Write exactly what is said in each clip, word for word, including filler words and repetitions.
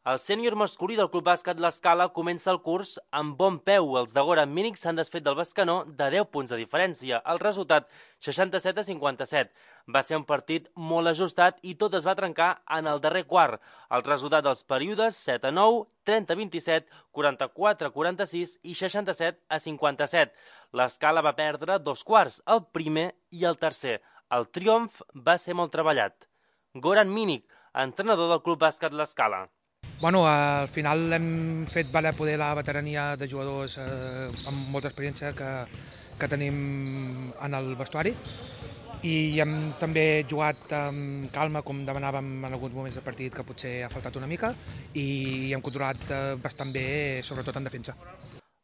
El sènior masculí del Club Bàsquet L'Escala comença el curs amb bon peu. Els de Goran Minic s'han desfet del Bescanó de deu punts de diferència. El resultat, seixanta-set a cinquanta-set. Va ser un partit molt ajustat i tot es va trencar en el darrer quart. El resultat dels períodes, set a nou, trenta a vint-i-set, quaranta-quatre a quaranta-sis i seixanta-set a cinquanta-set. L'Escala va perdre dos quarts, el primer i el tercer. El triomf va ser molt treballat. Goran Minic, entrenador del Club Bàsquet L'Escala. Bueno, al final hem fet valer poder la veterania de jugadors eh, amb molta experiència que, que tenim en el vestuari i hem també jugat amb calma, com demanàvem en alguns moments del partit, que potser ha faltat una mica, i hem controlat eh, bastant bé, sobretot en defensa.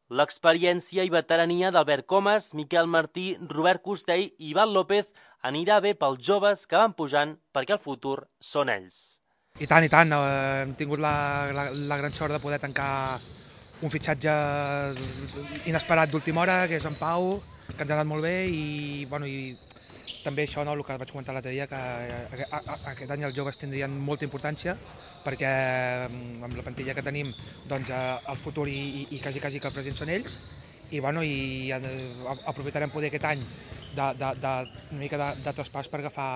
L'experiència i veterania d'Albert Comas, Miquel Martí, Robert Costell i Ivan López anirà bé pels joves que van pujant perquè el futur són ells. I tant, i tant. Hem tingut la, la, la gran sort de poder tancar un fitxatge inesperat d'última hora, que és en Pau, que ens ha anat molt bé, i, bueno, i també això, no, el que vaig comentar l'altre dia, que aquest any els joves tindrien molta importància, perquè amb la plantilla que tenim, doncs, el futur i, i, i quasi, quasi que el present són ells, i, bueno, i aprofitarem poder aquest any de, de, de, una mica de, de traspàs per agafar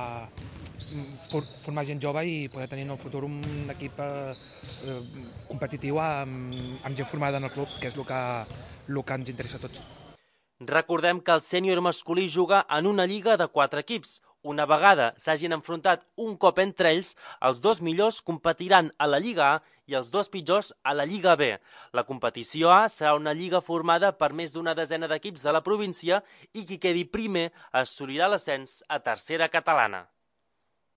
formar gent jove i poder tenir en el futur un equip eh, competitiu amb, amb gent formada en el club, que és el que, el que ens interessa a tots. Recordem que el sènior masculí juga en una lliga de quatre equips. Una vegada s'hagin enfrontat un cop entre ells, els dos millors competiran a la Lliga A i els dos pitjors a la Lliga B. La competició A serà una lliga formada per més d'una desena d'equips de la província i qui quedi primer assolirà l'ascens a tercera catalana.